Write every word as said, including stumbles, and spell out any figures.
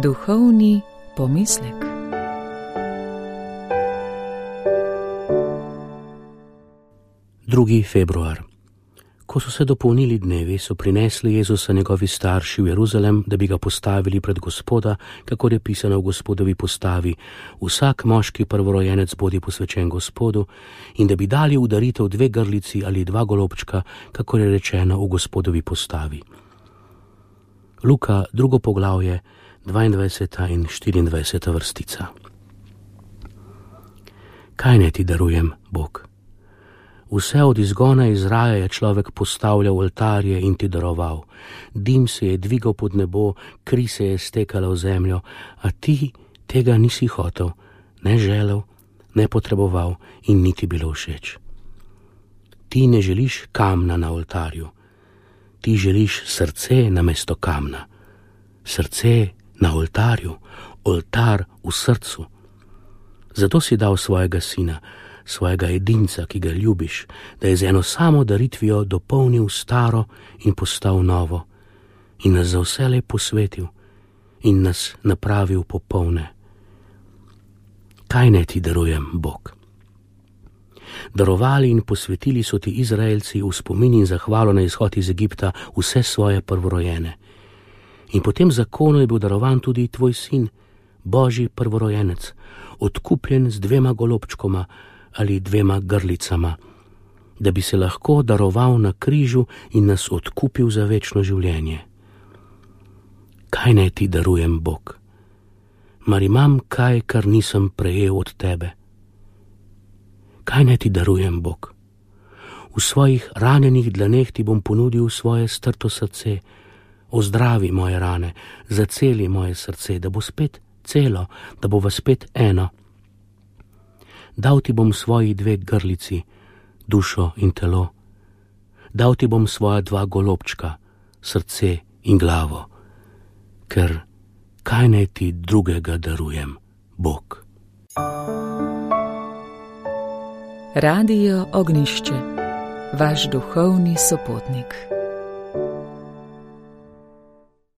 Duhovni pomislek. drugi februar. Ko so se dopolnili dnevi, so prinesli Jezusa njegovi starši v Jeruzalem, da bi ga postavili pred Gospoda, kakor je pisano v Gospodovi postavi: vsak moški prvorojenec bodi posvečen Gospodu, in da bi dali v daritev dve grlici ali dva golobčka, kakor je rečeno v Gospodovi postavi. Luka, drugo poglavje, dvaindvajseta in štiriindvajseta vrstica. Kaj naj ti darujem, Bog? Vse od izgona iz raja je človek postavljal oltarje in ti daroval. Dim se je dvigal pod nebo, kri se je stekala v zemljo, a ti tega nisi hotel, ne želel, ne potreboval in niti bilo všeč. Ti ne želiš kamna na oltarju, ti želiš srce namesto kamna. Srce na oltarju, oltar v srcu. Zato si dal svojega sina, svojega edinca, ki ga ljubiš, da je z eno samo daritvijo dopolnil staro in postal novo, in nas za vselej posvetil in nas napravil popolne. Kaj naj ti darujem, Bog? Darovali in posvetili so ti Izraelci v spomin in zahvalo na izhod iz Egipta vse svoje prvorojene. In po tem zakonu je bil darovan tudi tvoj sin, Božji prvorojenec, odkupljen z dvema golobčkoma ali dvema grlicama, da bi se lahko daroval na križu in nas odkupil za večno življenje. Kaj naj ti darujem, Bog? Mar imam kaj, kar nisem prejel od tebe? Kaj naj ti darujem, Bog? V svojih ranjenih dlaneh ti bom ponudil svoje strto srce. Ozdravi moje rane, zaceli moje srce, da bo spet celo, da bo spet eno. Dal ti bom svoji dve grlici, dušo in telo. Dal ti bom svoja dva golobčka, srce in glavo. Ker kaj naj ti drugega darujem, Bog? Radio Ognjišče, vaš duhovni sopotnik.